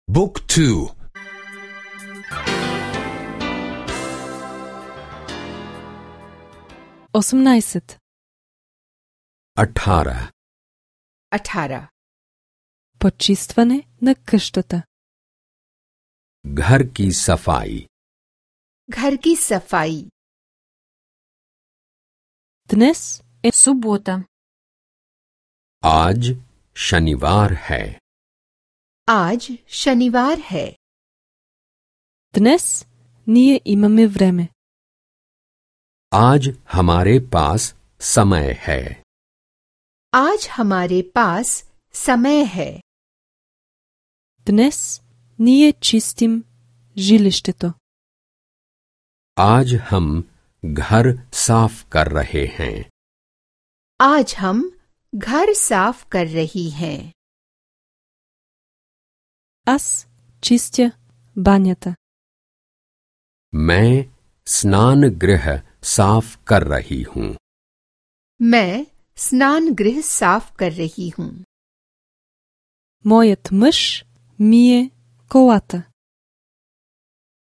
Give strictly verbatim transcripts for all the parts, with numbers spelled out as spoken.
Book two. осемнайсет. अठारह. अठारह. Почистване на къщата. घर की सफाई. घर की सफाई. Днес е Субота. आज शनिवार है. आज शनिवार है. Днес ние имаме време. आज हमारे पास समय है. आज हमारे पास समय है. Днес ние чистим жилището. आज हम घर साफ कर रहे हैं. आज हम घर साफ कर रही हैं. Аз чистя банята. मैं स्नान गृह साफ कर रही हूँ. मैं स्नान गृह साफ कर रही हूँ. Моят мъж мие колата.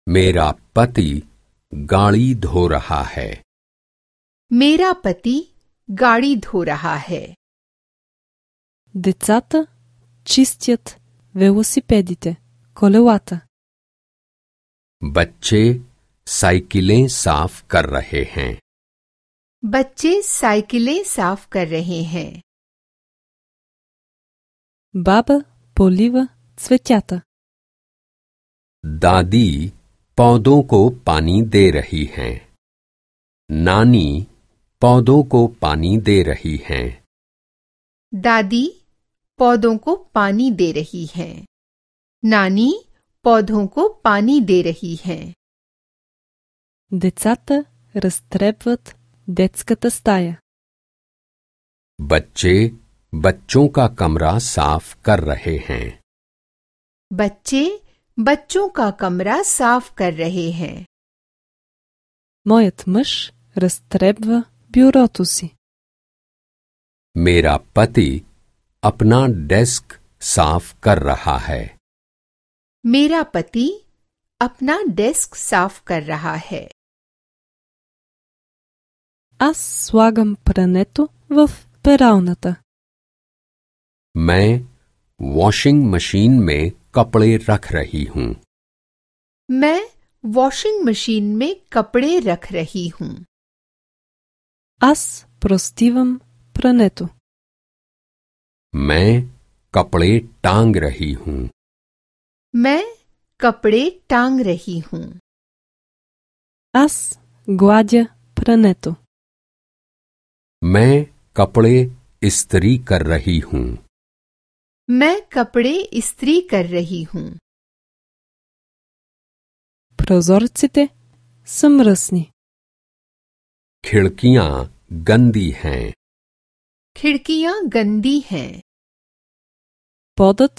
मेरा पति गाड़ी धो रहा है. मेरा पति गाड़ी धो रहा है. Децата чистят велосипедите, колелата. बच्चे साइकिलें साफ कर रहे हैं. बच्चे साइकिलें साफ कर रहे हैं. Баба полива цветята. दादी पौधों को पानी दे रही हैं. नानी पौधों को पानी दे रही हैं. दादी पौधों को पानी दे रही हैं. नानी पौधों को पानी दे रही हैं. Децата разтребват детската стая. बच्चे बच्चों का कमरा साफ कर रहे हैं. बच्चे बच्चों का कमरा साफ कर रहे हैं. Моят мъж разтребва бюрото си. मेरा पति अपना डेस्क साफ कर रहा है. मेरा पति अपना डेस्क साफ कर रहा है. Аз слагам прането в пералната. मैं वॉशिंग मशीन में कपड़े रख रही हूँ. मैं वॉशिंग मशीन में कपड़े रख रही हूँ. Аз простивам прането. मैं कपड़े टांग रही हूँ. मैं कपड़े टांग रही हूँ. Аз гладя прането. मैं कपड़े इस्त्री कर रही हूँ. मैं कपड़े इस्त्री कर रही हूँ. Прозорците са мръсни. खिड़कियाँ गंदी हैं. खिड़कियाँ गंदी हैं. Подът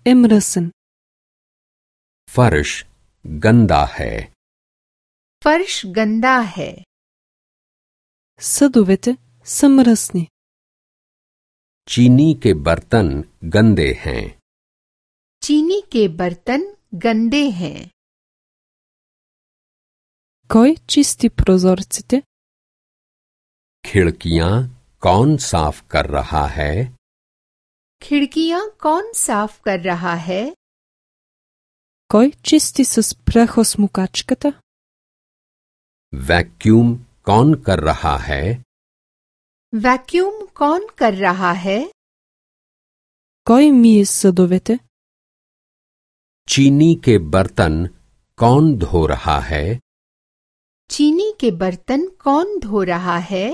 е мръсен. फर्श गंदा है. फर्श गंदा है. Съдовете са мръсни. चीनी के बर्तन गंदे हैं. चीनी के बर्तन गंदे हैं. Кой чисти прозорците? खिड़कियाँ कौन साफ कर रहा है? खिड़कियाँ कौन साफ कर रहा है? Кой чисти с прахосмукачката? वैक्यूम कौन कर रहा है? वैक्यूम कौन कर रहा है? Кой мие съдовете? चीनी के बर्तन कौन धो रहा है? चीनी के बर्तन कौन धो रहा है?